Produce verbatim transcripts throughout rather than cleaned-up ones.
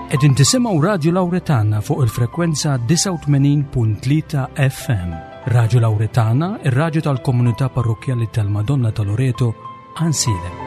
Qegħdin tisimgħu Radio Lauretana fuq il-frekwenza disgħa u tmenin punt tlieta F M. Radio Lauretana, ir-radju tal-komunità parrokkjali tal-Madonna ta' Loreto, Għajnsielem.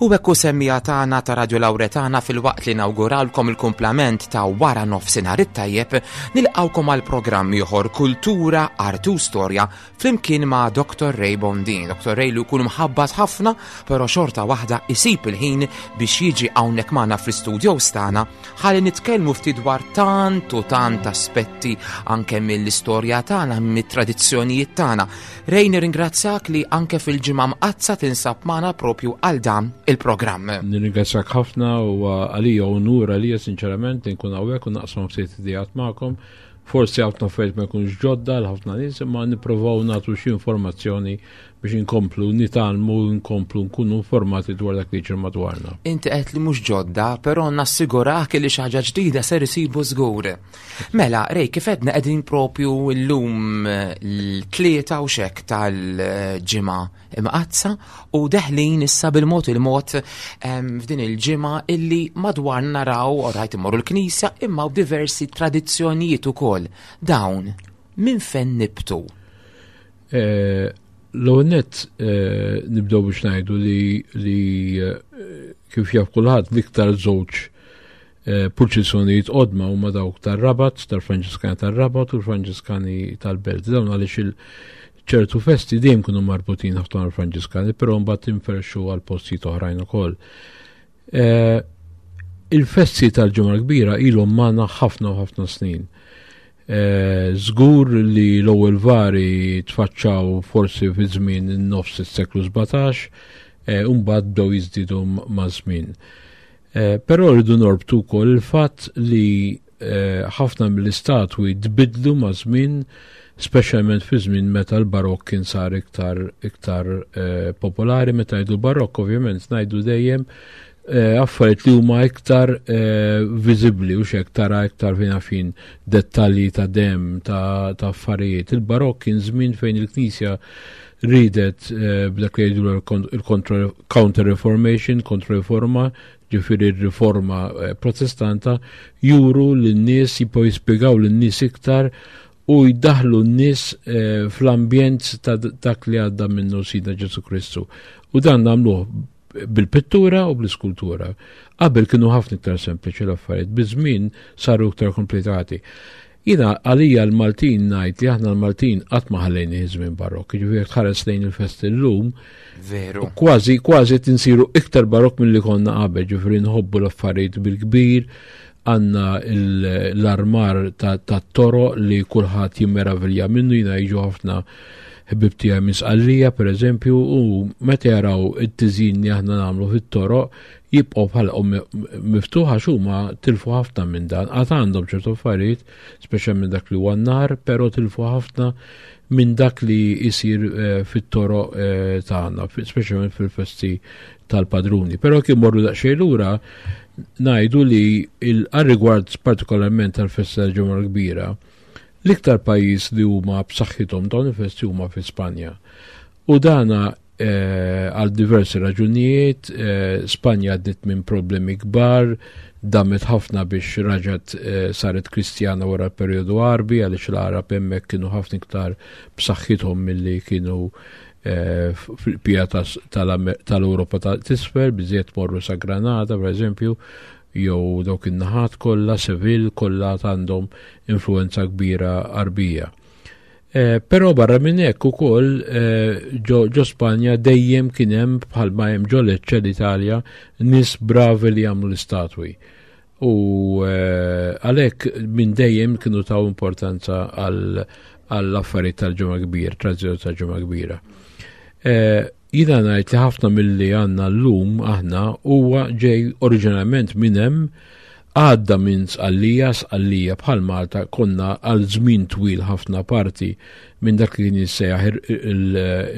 U hekk hu semmija tagħna ta' Radio Lauretana fil-waqt li nawguralkom il-kumplament ta' wara nofsinhar it-tajjeb, nilqawkom għal programm ieħor Kultura, Arti u Storja flimkien ma' Doktor Ray Bondin. Doktor Ray li jkun mħabbat ħafna, però xorta waħda isib il-ħin biex jiġi hawnhekk magħna fl-istudios tagħna ħalli nitkellmu ftit dwar tant u tant aspetti anke mill-istorja tagħna, mit-tradizzjonijiet tagħna. Ray, nirringrazzjak li anke fil-ġimgħa mqaddsa tinsab magħna propju għal dan il-programm. Nirringrazzjak ħafna u għalija unur għalija sinċerament li nkun hawnhekk u naqsam ftit idejat magħkom. Forsi ħafna affarijiet ma jkunux ġodda għal ħafna nies, imma nippruvaw nagħtu xi informazzjoni biex inkomplu nitgħallmu, nkomplu nkunu informati dwar dak li jiġri madwarna. Inti qed li mhux ġodda, però nassigurak li xi ħaġa ġdida ser isibu żgur. Mela, Ray, kif għedna qegħdin propju llum l-tlieta u xek tal-ġimgħa imqaddsa u deħlin issa bil-mod il-mod, em, f'din il-ġimgħa illi madwar naraw, orajt immorru l-knisja, imma u diversi tradizzjonijiet ukoll. Dawn minn fejn nibtu? Eh, l-ewwel nett, eh, nibdew biex ngħidu li, li, eh, kif jaf kulħadd l-iktar żewġ, eh, purċissjonijiet qodma huma dawk tar-Rabat, tal-Franġiskani tar-Rabat u l-Franġiskani tal-Belt. Dawn għaliex il ċertu festi dejjem kienu marbutin ħafna mal-Franġiskani, però mbagħad inferxu għal postijiet oħrajn ukoll. Eh, il-festi tal-Ġimgħa l-Kbira ilhom magħna ħafna u ħafna snin. Eh, żgur li l-ewwel vari tfaċċaw forsi fi żmien in-nofs is-seklu sbatax, eh, u mbagħad bdew jiżdiedu m-, maż-żmien. Eh, però rridu norbtu wkoll il-fatt li, eh, ħafna mill-istatwi tbidlu maż-żmien, speċjalment fi żmien meta l-barokk kien sar iktar, iktar, eh, popolari. Meta ngħidu barokk ovvjament ngħidu dejjem, eh, affarijiet li huma iktar, eh, viżibbli u x'hekk tara iktar fejn fin dettalji ta' dem ta', ta' affarijiet. Il-barokk kien żmien fejn il-Knisja ridet, eh, b'dak li jgħidu l-kon-, il-contra-, counter-reformation, kontra-reforma, ġifieri r-riforma, eh, protestanta, juru lin-nies, jibqgħu jispjegaw lin-nies iktar u jdaħlu n-nies, eh, fl-ambjent ta' dak li għadda minnu Sidna Ġesu Kristu. U dan nagħmluh bil-pittura u bl-iskultura. Qabel kienu ħafna iktar sempliċi l-affarijiet, biż-żmien saru iktar komplikati. Jiena għalija l-Maltin ngħid li aħna l-Maltin qatt ma ħallejni żmien barokk, jiġifieri jekk tħares lejn il-festi llum, Veru. kważi, kważi tinsiru iktar barokk milli konna qabel, jiġifieri nħobbu l-affarijiet bil-kbir, għandna il-, l-armar ta', ta' toro li kulħadd jimmeravilja minnu, jiena jiġu ħafna ħbib tiegħi minn Sqallija pereżempju, u meta jaraw it-tiżin li aħna nagħmlu fit-toroq jibqgħu bħalqhom mi-, miftuħa għax huma tilfu ħafna minn dan. Għad għandhom ċertu affarijiet, speċjalment dak li huwa n-nar, però tilfu ħafna minn dak li jsir, eh, fit-toroq, eh, tagħna, fi-, speċjalment fil-festi tal-padruni. Però kif morru daqsxejn lura ngħidu li il-, għal-rigward partikolarment tal-festa tal-Ġimgħa l-Kbira, l-iktar pajjiż li huma b'saħħithom dawn il-festi huma fi Spanja. U dana, eh, għal diversi raġunijiet, eh, Spanja għaddiet minn problemi kbar, damet ħafna biex raġat, eh, saret Kristjana wara l-perjodu Għarbi, għaliex l-Għarab hemmhekk kienu ħafna iktar b'saħħithom milli kienu, eh, fil-pija tas-, tal-Amer-, tal-Ewropa ta' t'isfel, biżejjed morru sa Granada, per eżempju, jew dawk in-naħat kollha, Seville, kollha għandhom influenza kbira Għarbija. Eh, però barra minn hekk ukoll eh, ġo Spanja dejjem kien hemm, bħalma hemm ġo Lecce l-Italja, nies bravi li jagħmlu l-istatwi. U eh, għalhekk minn dejjem kienu taw importanza għall-affarijiet tal-Ġimgħa Kbira, tradizzjoni tal-Ġimgħa Kbira. Jiena ngħid li ħafna milli għandna llum aħna huwa ġej oriġinarjament minn hemm, għadda minn Sqallija. Sqallija bħal Malta konna għal żmien twil ħafna parti minn dak li kien jissejjaħ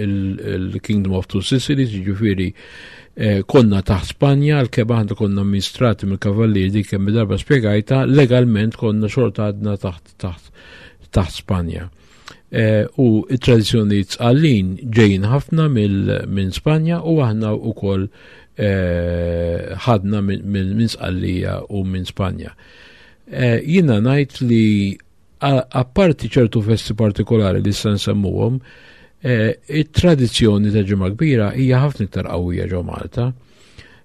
il-Kingdom of Two Sicilies, jiġifieri eh, konna taħt Spanja, għalkemm aħna konna amministrati mill-Kavallieri, dik kemm darba spjegajta, legalment konna xorta għadna taħt taħt taħt Spanja. Eh, u it-tradizzjonijiet Sqallin ġejjin ħafna minn Spanja u aħna wkoll eh, ħadna minn Sqallija u minn Spanja. Eh, jiena ngħid li apparti ċertu festi partikolari li se nsemmuhom, it-tradizzjoni ta' Ġimgħa Kbira hija ħafna iktar qawwija ġo Malta.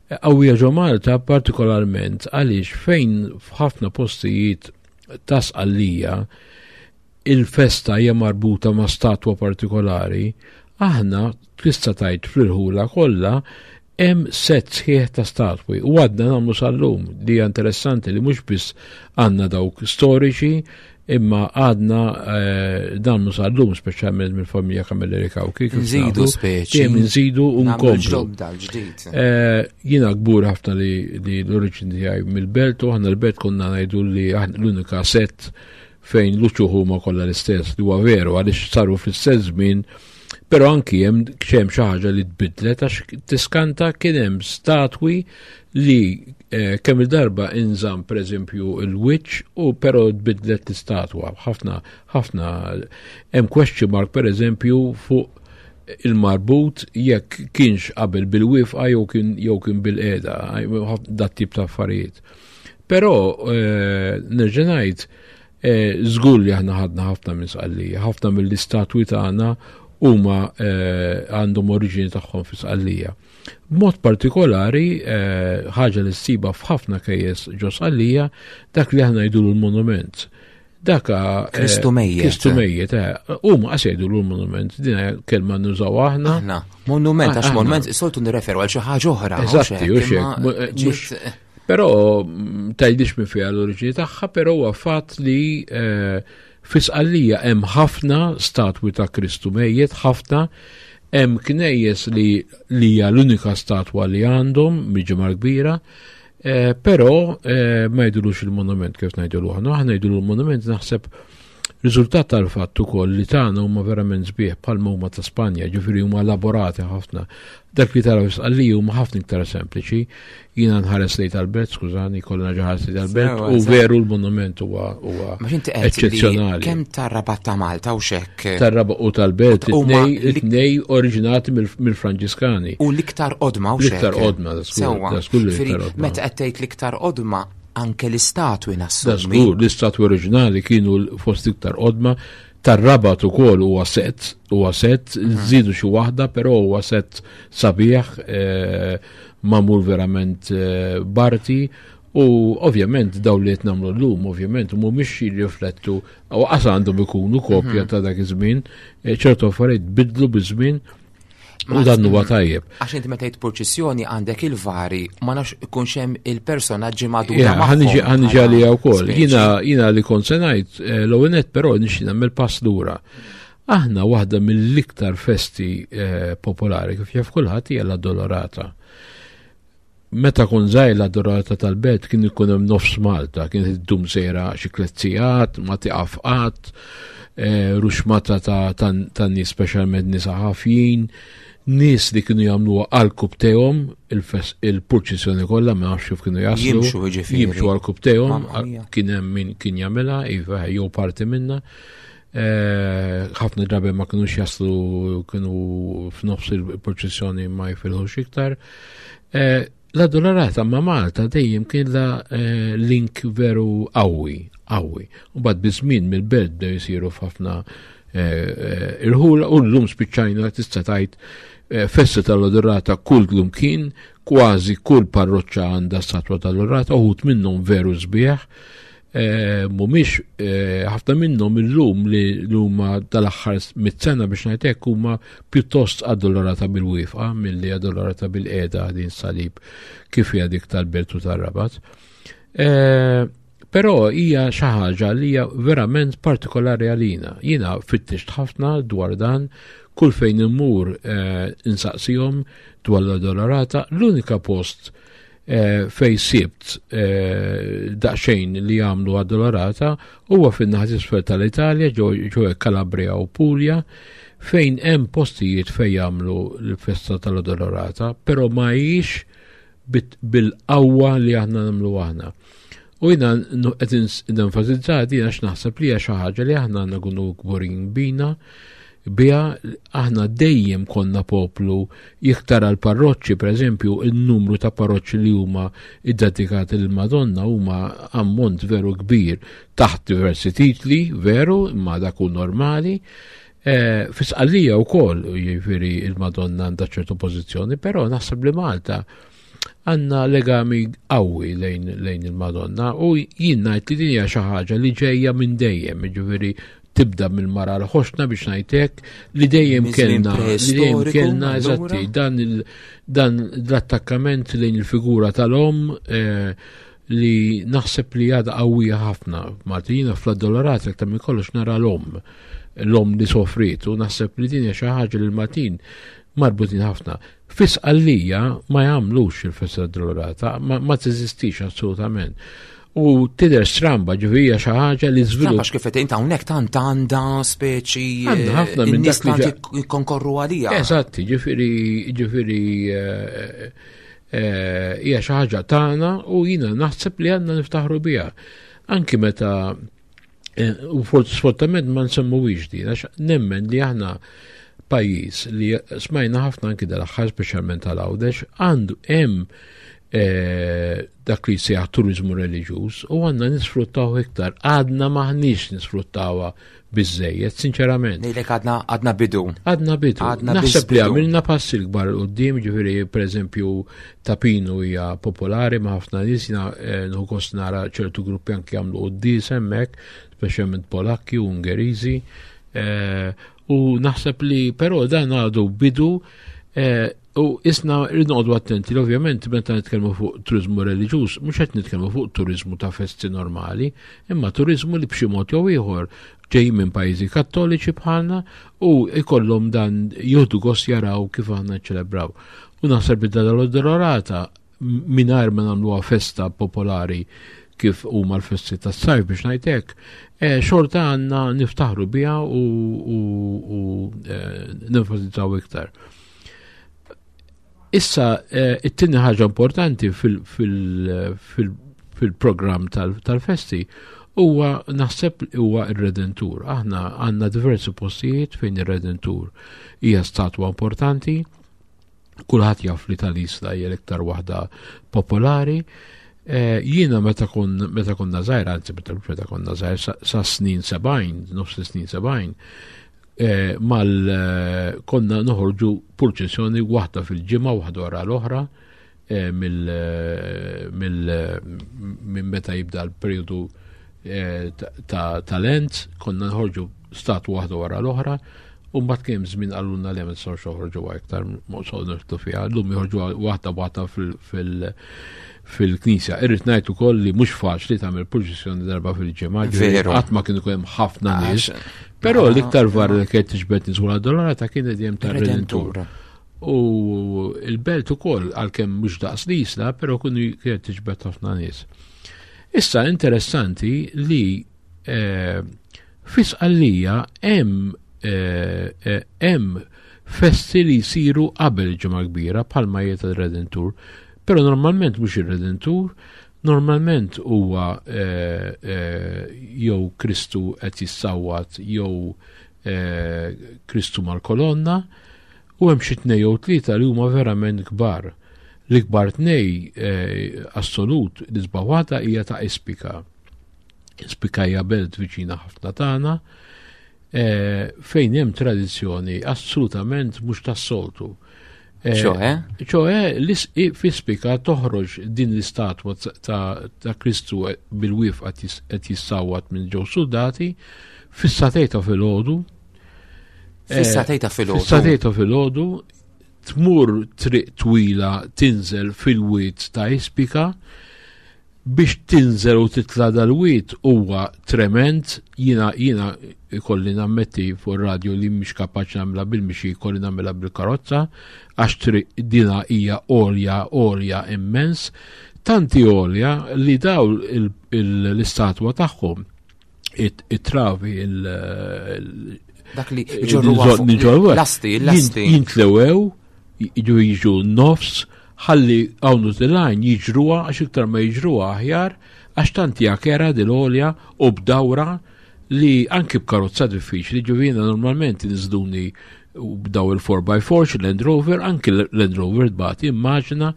Qawwija ġo Malta partikolarment għaliex fejn f'ħafna postijiet ta' Sqallija il-festa hija marbuta ma' statwa partikolari, aħna tista' tgħid fl-irħula kollha hemm set sħiħ ta' statwi u għadna nagħmlu sal-lum, li hija interessanti li mhux biss għandna dawk storiċi, imma għadna eh, nagħmlu sal-lum, speċjalment mill-familja Camilleri Cauchi. Nżidu speċi. Dejjem nżidu u nkomplu. Eh, jiena kbur ħafna li l-oriġini tiegħi mill-belt, u aħna l-belt konna ngħidu li l-unika set fejn l-uċuħ huma kollha l-istess, li huwa veru għaliex saru fl-istess żmien, però anki hemm hemm xi ħaġa li tbidlet għax tiskanta, kien hemm statwi li eh, kemm il-darba inżamm, pereżempju, il-wiċċ u però tbidlet l-istatwa. Ħafna ħafna hemm question mark, pereżempju, fuq il-marbut jekk kienx qabel bil-wifqa jew kien jew kien bil-qeda, dat tip ta' affarijiet. Però eh, nerġa' ngħid, Eh, żgur li aħna ħadna ħafna minn Sqallija, ħafna mill-istatwi tagħna huma eh, għandhom oriġini tagħhom fi Sqallija. B'mod partikolari, eh, ħaġa li ssiba f'ħafna knejjes ġo Sqallija, dak li aħna ngħidu l-monument. Daka Kristu mejjet. Kristu mejjet, huma qas jgħidu l-monument, din kelma nużaw aħna. Aħna, monument, għax monument soltu nirreferu għal xi ħaġa oħra. Eżatti, u xek. Però mm, tgħidix minn fiha l-oriġini tagħha, però huwa fatt li eh, fi Sqallija hemm ħafna statwi ta' Kristu mejjet, ħafna. Hemm knejjes li li hija l-unika statwa li għandhom mill-Ġimgħa Kbira, eh, però eh, ma jgħidulux il-monument kif ngħidulu aħna, aħna ngħidulu l-monument, naħseb riżultat tal-fatt ukoll li tagħna huma verament sbieħ bħalma huma ta' Spanja, ġifieri huma elaborati ħafna. Dak li tara Sqallija huma ħafna iktar sempliċi. Jiena nħares lejn tal-belt, skużani, kollha ħares lejn tal-belt, u veru l-monument huwa huwa eċċezzjonali. Kemm tar-Rabat ta' Malta u xek? Tar-Rabat u tal-belt, it-tnej oriġinati mill-Franġiskani. U l-iktar qodma u xek. L-iktar qodma, sewwa. Meta qed tgħid l-iktar qodma, anke l-istatwi nassumi. Żgur, l-istatwi oriġinali kienu fost iktar qodma. Tar-Rabat ukoll huwa set, huwa set, mhm. żidu xi waħda, però huwa set sabiħ, eh, magħmul verament eh, b'arti, u ovvjament daw li qed nagħmlu llum ovvjament mhumiex jirriflettu u qas għandhom ikunu kopja mhm. ta' dak iż-żmien, eh, ċertu affarijiet bidlu biż-żmien u dan huwa tajjeb. Għax inti meta tgħid purċissjoni għandek il-vari, ma nafx ikunx hemm il-personaġġi madura. Ħa niġi għaliha wkoll. Jiena jiena li kont se ngħid eh, l-ewwel nett, però nixtieq nagħmel pass lura. Aħna waħda mill-iktar festi eh, popolari, kif jaf kulħadd, hija l-Addolorata. Meta kont żgħir, l-Addolorata tal-belt kien ikun hemm nofs Malta, kien iddum sejra xi tliet sigħat, ma tiqaf qatt, eh, ruxmata ta' ta' nies, speċjalment nisa ħafjin, nies li kienu jagħmluha għal rkubbtejhom il-purċissjoni kollha, ma nafx kif kienu jaslu. Jimxu, ġifieri. Jimxu għal rkubbtejhom, kien hemm min kien jagħmilha, iva, jew parti minna. Eh, ħafna drabi ma kinux jaslu, kienu f'nofs il-purċissjoni ma jifilħux iktar. Eh, L-Addolorata ma' Malta dejjem kien la eh, link veru qawwi, qawwi. U bad biż-żmien mill-belt bdew jisiru f'ħafna irħula u llum spiċċajna tista' tgħid festa tal-Addolorata kull kien, kważi kull parroċċa għandha statwa tal-Addolorata, uħud minnhom veru sbieħ. Mhumiex ħafna minnhom illum li huma tal-aħħar mit-sena biex ngħid hekk huma pjuttost Addolorata bil-wieqfa milli Addolorata bil-qiegħda din salib kif hija dik tal-Belt u tar-Rabat. Però hija xi ħaġa li hija verament partikolari għalina. Jiena fittixt ħafna dwar dan, kull fejn immur insaqsihom dwar l-Addolorata, l-unika post fej sibt daqsxejn li jagħmlu Addolorata huwa fin-naħa t'isfel tal-Italja, ġo Calabria u Puglia, fejn hemm postijiet fejn jagħmlu l-festa tal-Addolorata, però ma hijiex bil-qawwa li aħna nagħmlu aħna. U jiena qed nenfasizza din għax naħseb li hija xi ħaġa li aħna għandna nkunu kburin bina, biha. Aħna dejjem konna poplu iktar għal parroċċi, per eżempju, il-numru ta' parroċċi li huma iddedikati lill-Madonna huma ammont veru kbir taħt diversi titli, veru, imma dak hu normali. Fi Sqallija wkoll, jiġifieri il-Madonna għandha ċertu pożizzjoni, però naħseb li Malta għandna legami qawwi lejn, lejn il-Madonna u jien ngħid li din hija xi ħaġa li ġejja minn dejjem, jiġifieri tibda mill-mara l-ħoxna biex ngħidlek li dejjem kellna li dejjem kellna eżatti dan il, dan l-attakkament lejn il-figura tal-om eh, li naħseb li għadha qawwija ħafna. Malta jiena fl-Addolorata aktar minn kollox nara l-om, l-om li sofriet, u naħseb li din hija xi ħaġa li l-Maltin marbutin ħafna. Fi Sqallija ma jagħmlux il-festa Addolorata, ma, ma teżistix assolutament. U tidher stramba, ġifieri xi ħaġa li żvilupp. Għax kif qed int hawnhekk tant għandha speċi Għandha ħafna minn in-nies dak li tant ġa- jikkonkorru għalija. Eżatti, ġifieri ġifieri eh, eh, hija xi ħaġa tagħna u jiena naħseb li għandna niftaħru biha. Anki meta eh, u sfortunatament ma nsemmuwix din, għax nemmen li aħna pajjiż li smajna ħafna anki dal-aħħar, speċjalment tal-Għawdex, għandu hemm eh, dak li jsejjaħ turizmu reliġjuż u għandna nisfruttaw iktar. Għadna m'aħniex nisfruttawha biżejjed, sinċerament. Ngħidlek għadna għadna bidu. Għadna bidu. Għadna Naħseb biss li bidu. għamilna passi l-kbar quddiem, ġifieri per eżempju Ta' Pinu hija popolari ma' ħafna nies, jiena eh, nieħu gost nara ċertu gruppi anki jagħmlu quddies hemmhekk, speċjalment Polakki u Ungeriżi. Eh, u naħseb li però dan għadu bidu eh, u isna rridu noqogħdu attenti li ovvjament meta nitkellmu fuq turizmu reliġjuż, mhux qed nitkellmu fuq turizmu ta' festi normali, imma turizmu li b'xi mod jew ieħor ġej minn pajjiżi kattoliċi bħalna u ikollhom dan jieħdu gost jaraw kif aħna nċelebraw. U naħseb li dal-Addolorata mingħajr ma nagħmluha festa popolari kif huma l-festi tas-sajf biex ngħid hekk, eh, xorta għandna niftaħru biha u, u, u eh, nenfasizzaw iktar. Issa, eh, it-tieni ħaġa importanti fil-programm tal-festi huwa naħseb huwa ir-Redentur. Aħna għandna diversi postijiet fejn ir-Redentur hija statwa importanti. Kulħadd jaf li tal-Isla hija l-iktar waħda popolari. Eh, jiena meta kon meta konna żgħir, anzi meta meta konna żgħir sa, sa snin sebgħin, nofs snin sebgħin, eh, mal eh, konna noħorġu purċessjoni waħda fil-ġimgħa, waħda wara l-oħra, eh, mill mill minn meta jibda l-perjodu eh, ta' ta' Lent, konna noħorġu statwa waħda wara l-oħra, u mbagħad kien żmien qalulna li ma nistgħux joħorġu iktar, ma nidħlu fiha, llum joħorġu waħda waħda fil- fil-knisja. Irrid ngħid ukoll li mhux faċli tagħmel purċissjoni darba fil-ġimgħa, Veru. qatt ma kien ikun hemm ħafna nies. Però l-iktar var li kienet tiġbed nies wara Addolorata kienet dejjem tar-Redentur. U il-belt ukoll għalkemm mhux daqs l-Isla, però kienu kienet tiġbed ħafna nies. Issa interessanti li eh, fi Sqallija hemm eh, eh, hemm festi li jsiru qabel il-Ġimgħa Kbira bħalma hija tar-Redentur, però normalment mhux ir-Redentur, normalment huwa eh, eh, jew Kristu qed jissawwat jew eh, Kristu mal-kolonna, u hemm xi tnej jew tlieta li huma verament kbar. L-ikbar tnej eh, assolut l-isbaħ waħda hija ta' Ispika. Ispika hija belt viċina ħafna tagħna, eh, fejn hemm tradizzjoni assolutament mhux tas-soltu. ċoħe? ċoħe, f'Ispika toħroġ din l-istatwa ta' Kristu bil-wif qed jissawwat minn ġew soldati fis-sagħtejn ta' filgħodu. Fis-sagħtejn ta' filgħodu. Fis-sagħtejn ta' filgħodu tmur triq twila tinżel fil-wied ta' Ispika. Biex tinżel u titla dal-wied huwa trement. Jiena jiena ikolli nammetti fuq radio li mhix kapaċi nagħmilha bil-mixi, ikolli nagħmilha bil-karozza, għax triq dina hija għolja, għolja immens, tanti għolja li daw l-istatwa tagħhom it-travi il- Dak li ġorru l-lasti, l-lasti. Jintlewew, jiġu jiġu nofs, ħalli għawnu t-lajn jiġruha, għax iktar ma jiġruha aħjar, għax tanti għakera dil-għolja u b'dawra li anki b'karozza diffiċli. Ġuvina normalment niżduni b'daw il four by four, Land Rover, anki Land Rover tbati. Immaġina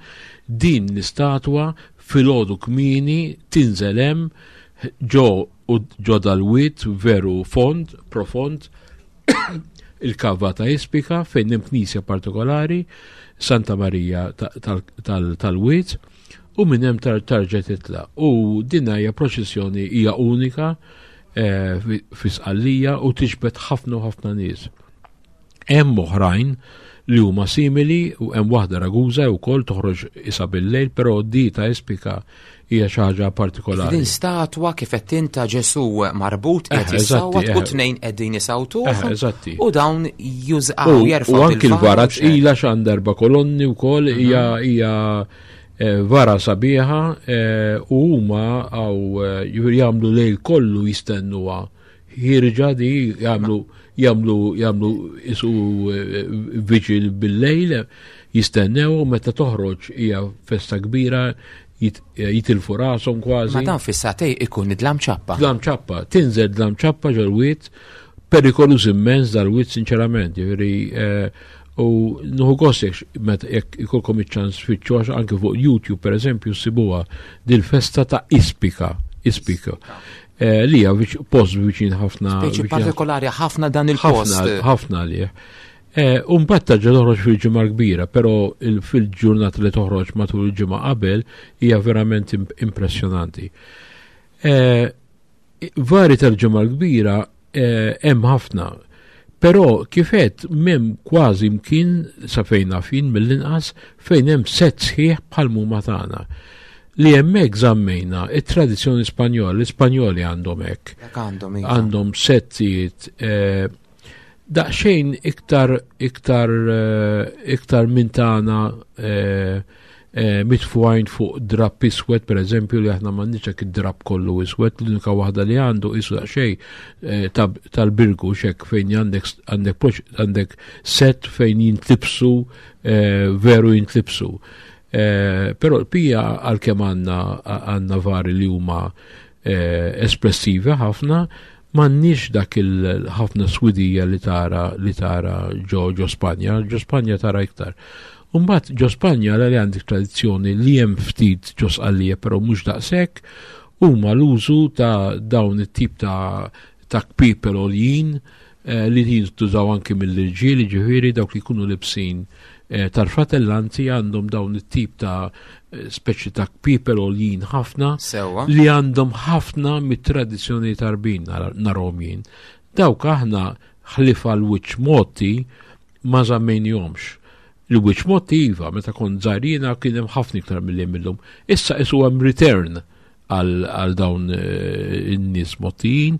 din l-istatwa filgħodu kmieni tinżel hemm ġo u ġo dal-wied veru fond, profond, il-kava ta' Ispika, fejn hemm knisja partikolari, Santa Maria tal-Wied, u minn hemm tarġa titla. U din hija proċessjoni hija unika, eh, fi Sqallija u tiġbed ħafna u ħafna nies. Hemm oħrajn li huma simili, u hemm waħda Ragusa wkoll toħroġ isa bil-lejl, però di ta' Ispika hija xi ħaġa partikolari. Din statwa kif qed tinta Ġesu marbut qed jissawwat u tnejn qegħdin isawtuh. Eżatti. U dawn jużaw jerfgħu. U anki l-vara tqila x'għandha erba' kolonni wkoll, hija hija vara sabiħa, u huma għaw jagħmlu lejl kollu jistennuha. Ħirġa di jagħmlu jagħmlu jagħmlu isu viġil bil-lejl, jistennew, u meta toħroġ hija festa kbira, jitilfu rashom kważi. Ma dan fis-sagħtejn ikun id-dlam ċappa. Dlam ċappa, tinżel dlam ċappa ġol-wied, perikoluż immens dal-wied sinċerament, jiġifieri, u nuhu gost jekk meta jekk ikolkom iċ-ċans tfittxu, għax anke fuq YouTube pereżempju ssibuha dil-festa ta' Ispika, Ispika. Li hija post viċin ħafna, Speċi viċin partikolari ħafna dan il-post. Ħafna, ħafna għalih. U mbagħad tarġa' toħroġ fil-ġimgħa kbira, però fil-ġurnata li toħroġ matul il-ġimgħa qabel hija verament impressjonanti. Vari tal-ġimgħa kbira hemm ħafna, però kif għedt m'hemm kważi mkien sa fejn naf jien mill-inqas fejn hemm set sħiħ bħal huma tagħna. Li hemmhekk żammejna it-tradizzjoni Spanjola, l-Ispanjoli għandhom hekk. Dak għandhom, iva. Għandhom settijiet, daqsxejn iktar, iktar, iktar minn tagħna, mitfuqajn fuq drapp iswed, per eżempju, li aħna m'għandniex hekk id-drapp kollu iswed, l-unika waħda li għandu isu daqsxejn tal-birgu xek fejn għandek, għandek, għandek set fejn jintlibsu, veru jintlibsu. Però l-pija għalkemm għandna, għandna vari li huma espressivi ħafna, m'għandniex dak il-ħafna swidija li tara, li tara ġo, ġo Spanja, ġo Spanja tara iktar. Umbagħad ġo Spanja li għandek tradizzjoni li hemm ftit ġo Sqallija, però mhux daqshekk, huma l-użu ta' dawn it-tip ta', ta' kpipel għoljin, li jintużaw anki mill-irġiel, ġifieri dawk li jkunu libsin tal-fratellanti għandhom dawn it-tip ta' speċi ta' kpipel għoljin ħafna. Sewwa. Li għandhom ħafna mit-tradizzjoni tarbin narahom jien. Dawk aħna ħlifa l-wiċċ motti ma żammejnihomx. L-wiċċ motti iva, meta kont żgħirina kien hemm ħafna iktar milli hemm illum. Issa isu hemm return għal dawn in-nies mottijin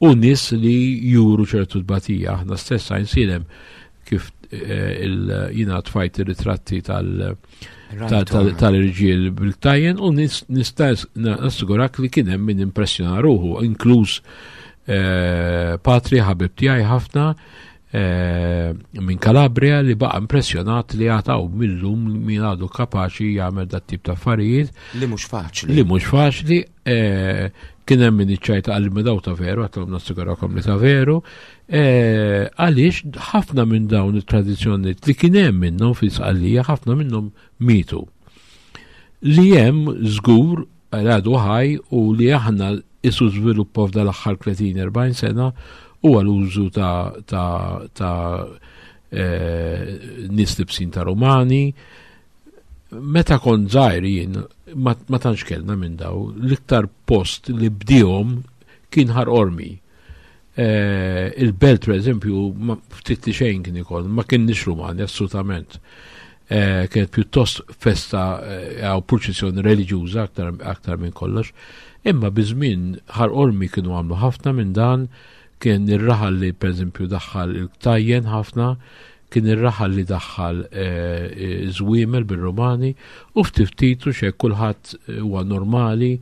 u nies li juru ċertu tbatija. Aħna stess għajnsilem kif jina tfajt ir-ritratti tal-irġiel bil-ktajjen u nista' nassigurak li kien hemm min impressjona ruħu, inkluż patri ħabib tiegħi ħafna minn Calabria li baqa' impressjonat li għataw millum min għadu kapaċi jagħmel dat tip ta' affarijiet. Li mhux faċli. Li mhux faċli, kien hemm min iċċajta għal ma daw ta' veru, għatlhom nassigurakom li ta' veru, għaliex ħafna minn dawn it-tradizzjonijiet li kien hemm minnhom fi Sqallija, ħafna minnhom mietu. Li hemm żgur għadu ħaj u li aħna isu żviluppa f'dal aħħar tletin erbgħin sena huwa l-użu ta', ta', ta' nies libsin ta' Rumani. Meta kont żgħir jien ma tantx kellna minn daw, l-iktar post li bdihom kien Ħal Qormi. Il-Belt, per eżempju, ftit li xejn kien ikoll, ma kienx Rumani assolutament. Kienet pjuttost festa jew purċissjoni reliġjuża aktar, aktar minn kollox. Imma biż-żmien Ħal Qormi kienu għamlu ħafna minn dan, kien ir-raħal li per eżempju daħħal il-ktajjen ħafna, kien ir-raħal li daħħal żwiemel bir-Rumani, u ftit ftit u xejn kulħadd huwa normali,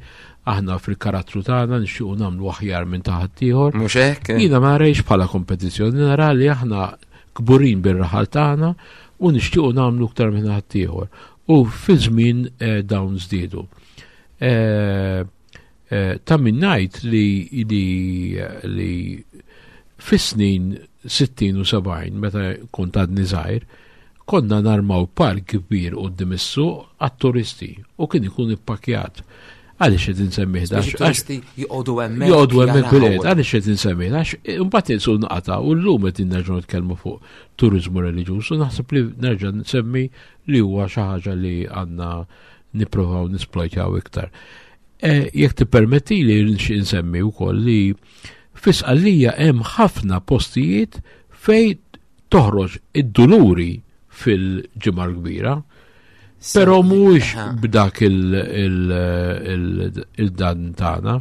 aħna fil-karattru tagħna nixtiequ nagħmlu aħjar minn ta' ħaddieħor. Mhux hekk? Jiena ma rajx bħala kompetizzjoni, nara li aħna kburin bir-raħal tagħna u nixtiequ nagħmlu aktar minn ħaddieħor. U fi żmien dawn żdiedu. Ta' min ngħid li li fis-snin sittin u sebgħin, meta kont għadni żgħir, konna narmaw park kbir quddiem is-suq għat-turisti u kien ikun ippakjat. Għaliex qed insemmih da? Biex it-turisti joqogħdu hemmhekk. Joqogħdu hemmhekk bil-qed, għaliex qed insemmih? Għax imbagħad insu nqata' u llum qed nerġgħu nitkellmu fuq turiżmu reliġjuż u naħseb li nerġa' nsemmi li huwa xi ħaġa li għandna nippruvaw nisplojtjaw iktar. Jekk tippermetti li nsemmi wkoll li fi Sqallija hemm ħafna postijiet fej toħroġ id-duluri fil-Ġimgħa l-Kbira, però mhuwiex b'dak il-dan tagħna.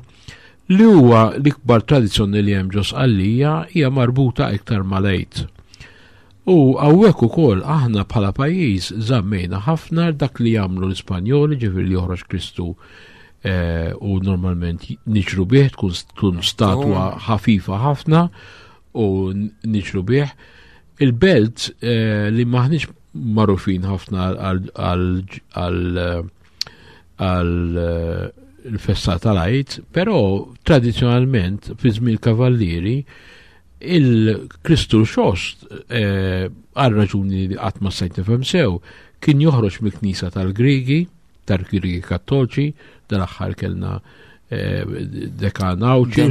Li huwa l-ikbar tradizzjoni li hemm ġo Sqallija hija marbuta iktar mal-Għid. U hawnhekk ukoll aħna bħala pajjiż żammejna ħafna dak li jagħmlu l-Ispanjoli, ġifieri li joħroġ Kristu u normalment niġru bih, tkun statwa ħafifa ħafna u niġru bih. Il-belt li maħniex magħrufin ħafna għal il-festa tal-Għid, però tradizzjonalment fi żmien il-Kavallieri il-Kristu Xoxt, għal raġuni li qatt ma stajt nifhem sew, kien joħroġ mill-Knisja tal-Griegi, tal-Griegi Kattoliċi, dal-aħħar kellna dekan Għawdxi,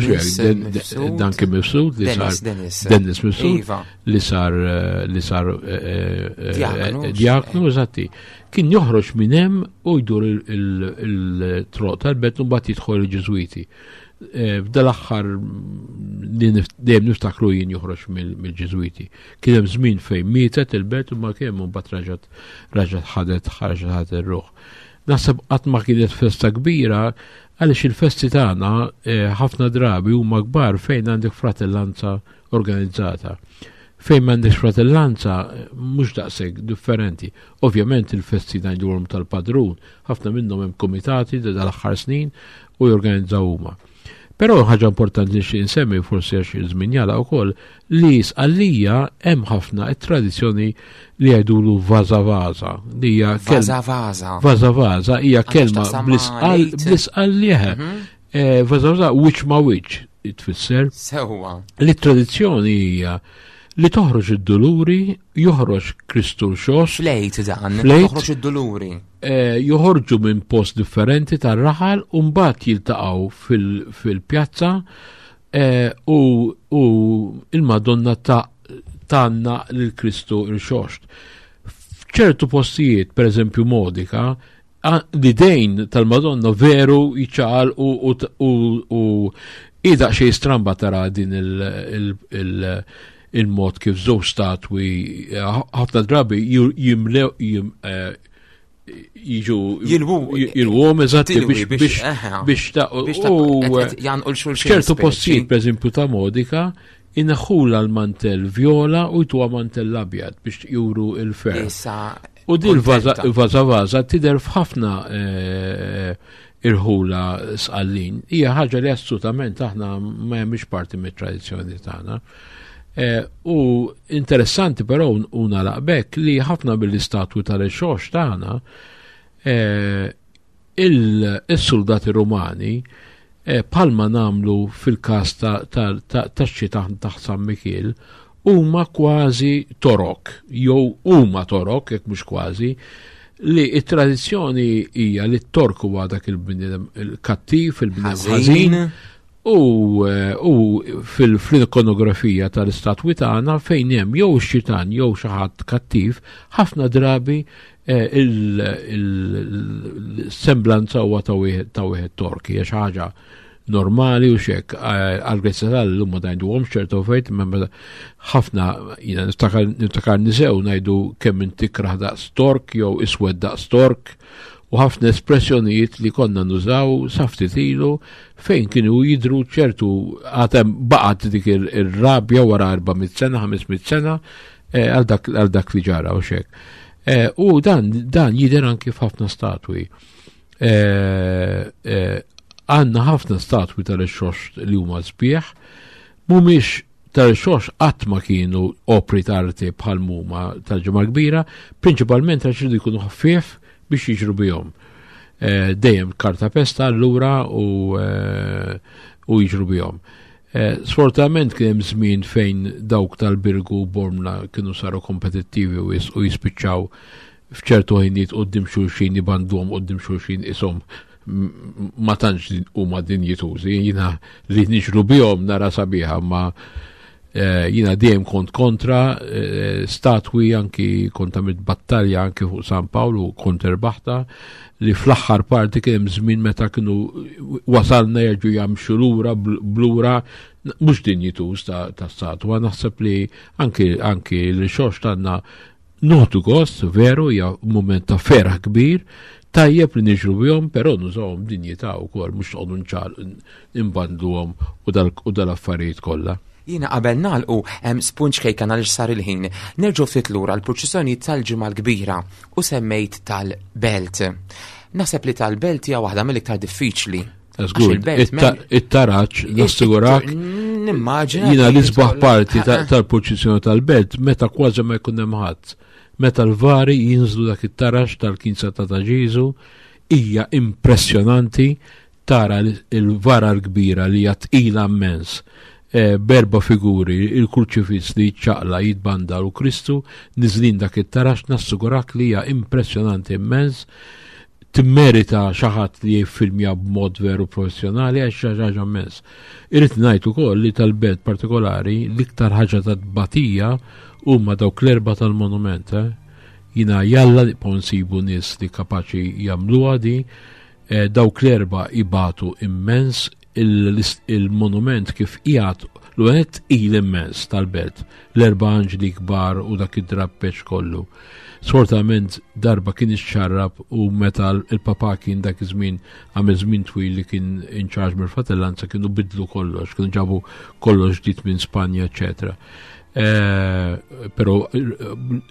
dan kien Mifsud, li sar Dennis Mifsud, li sar li sar diaknu, eżatti. Kien joħroġ minn hemm u jdur il-troq tal-belt u mbagħad jidħol il-Ġiżwiti. F'dal-aħħar dejjem niftakru jien joħroġ mill-Ġiżwiti. Kien hemm żmien fejn mietet il-belt u ma kien hemm mbagħad raġat raġat ħadet ħarġet ħadet ir-ruħ. Naħseb qatt ma kienet festa kbira għaliex il-festi tagħna ħafna drabi huma kbar fejn għandek fratellanza organizzata. Fejn m'għandekx fratellanza mhux daqshekk differenti. Ovvjament il-festi ngħidulhom tal-padrun, ħafna minnhom hemm komitati dal-aħħar snin u jorganizzaw huma. Però ħaġa importanti li xi nsemmi forsi għax iż-żmien jagħlaq ukoll li Sqallija hemm ħafna t-tradizzjoni li jgħidulu vaża vaża, li hija Vaża vaża. Vaża vaża hija kelma bl-Isqallija. Vaża vaża wiċċ ma wiċċ tfisser. Sewwa. Li t-tradizzjoni hija li toħroġ id-duluri, joħroġ Kristu l-Xoxt. Flejt dan, toħroġ id-duluri. Joħorġu minn post differenti tar-raħal u mbagħad jiltaqgħu fil-pjazza u il-Madonna tanna lil Kristu l-Xoxt. F'ċertu postijiet, per eżempju Modica, l-idejn tal-Madonna veru jiċċaqal u ida xejn stramba tara din il- il-mod kif żewġ statwi ħafna drabi jimlew jiġu jilwhom eżatti biex biex ta' u ċertu postijiet pereżempju ta' Modica inħula l-mantell viola u jtuha mantell abjad biex juru il-ferħ. U din il-vaża vaża tidher f'ħafna irħula Sqallin. Hija ħaġa li assolutament aħna ma hemmx parti mit-tradizzjoni tagħna. U interessanti però u nagħlaq b'hekk li ħafna mill-istatwi tal-Xoxt tagħna il-soldati Rumani bħalma nagħmlu fil-każ tax-xita taħt San Mikiel huma kważi torok, jew huma torok jekk mhux kważi, li t-tradizzjoni hija li t-tork huwa dak il-bniedem il-kattiv, il-bniedem ħażin, U, eh, u fil-ikonografija tal-istatwi tagħna fejn hemm jew xitan jew xi ħadd kattiv, ħafna drabi eh, il-semblanza huwa ta' wieħed Tork, hija xi ħaġa normali u xek eh, għal-grazzja tal-lum ma ngħiduhom ċertu fejt, imma ħafna jiena niftakar nisew ngħidu kemm inti ikrah daqs Tork jew iswed daqs Tork u ħafna espressjonijiet li konna nużaw sa ftit ilu fejn kienu jidru ċertu għatem baqat dik il-rabja wara erba' mitt sena, ħames mitt sena eh, għal dak li ġara u xek. Eh, u dan, dan jidher anki f'ħafna statwi. Eh, għandna ħafna statwi tal-Irxoxt li huma sbieħ, mhumiex tal-Irxoxt qatt ma kienu opri t'arti bħal muma tal-Ġimgħa Kbira, prinċipalment għax jkunu ħafif biex jiġru bihom. Eh, dejjem karta pesta allura u, eh, u jiġru bihom. Eh, sfortunatament kien hemm żmien fejn dawk tal-Birgu u Bormla kienu saru kompetittivi u jispiċċaw f'ċertu ħinijiet quddiem xulxin jibandhom quddiem xulxin ishom ma tantx huma dinjitużi. Jiena li niġru bihom nara sabiħa ma Eh, jiena dejjem kont kontra eh, statwi anki kont għamilt battalja anki fuq San Pawl u kont irbaħtha li fl-aħħar parti kien hemm żmien meta kienu wasalna jerġgħu jamxu lura blura mhux dinjituż ta', ta statwa. Naħseb li anki anki l-Irxoxt għandna noħdu gost, veru, hija moment ta' ferħ kbir, tajjeb li niġru bihom, però nużawhom dinjità wkoll, mhux noqogħdu nċal imbandluhom u dal-affarijiet kollha. Jiena qabel nagħlqu hemm spunt ċkejken għaliex sar il-ħin. Nerġgħu ftit lura l-purċissjoni tal-Ġimgħa l-Kbira u semmejt tal-Belt. Naħseb li tal-Belt hija waħda mill-iktar diffiċli. It-taraċ, nassigurak. Nimmaġina. Jiena l-isbaħ parti tal-purċissjoni tal-Belt meta kważi ma jkun hemm ħadd. Meta l-vari jinżlu dak it-taraċ tal-Knisja ta' Ta' Ġieżu hija impressjonanti tara il-vara l-kbira li hija tqila immens Eh, b'erba' figuri, il-kurċifiss li ċaqla jitbanda u Kristu niżlin dak it-tarax, nassigurak li hija impressjonanti immens, timmerita xi ħadd li jiffilmja b'mod veru professjonali għax xi ħaġa immens. Irrid ngħid ukoll li tal-Belt partikolari l-iktar ħaġa ta' tbatija huma dawk l-erba' tal-monument. Eh? Jiena jalla nibqgħu nsibu nies li kapaċi jagħmluha di, eh, dawk l-erba' ibatu immens il-monument kif qiegħed l-għanet il immens tal-Belt, l-erba' anġli kbar u dak id-drappeċ kollu. Sfortunatament darba kien ixxarrab u meta il-papa kien dak iż-żmien għamel żmien twil li kien in charge mill-fratellanza kienu bidlu kollox, kienu ġabu kollox ġdid minn Spanja, eċetera. Eh, però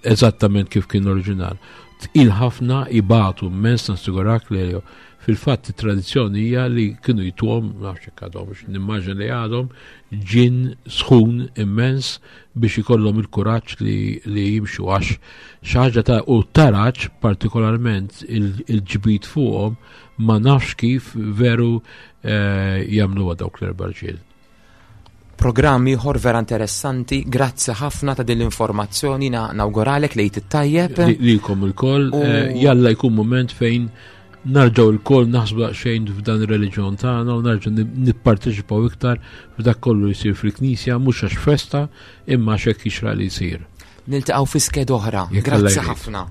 eżattament kif kien oriġinal. Tqil ħafna ibatu immens nassigurak li fil-fatt it-tradizzjoni hija li kienu jtuhom, nafx hekk għadhom, nimmaġina li għadhom, ġin sħun immens biex ikollhom il-kuraġġ li, li jimxu għax xi ħaġa ta' u taraġ partikolarment il-ġbid fuqhom ma nafx kif veru eh, jagħmluha dawk l-erba' rġiel. Programm ieħor vera interessanti, grazzi ħafna ta' din l-informazzjoni, nawguralek l-Għid it-tajjeb. Lilkom ilkoll, eh, jalla jkun moment fejn nerġgħu lkoll naħsbu daqsxejn f'dan ir-reliġjon tagħna u nerġgħu nipparteċipaw iktar f'dak kollu jsir fil-Knisja mhux għax festa imma għax hekk jixraq li jsir. Niltaqgħu fi skeda oħra. Grazzi ħafna.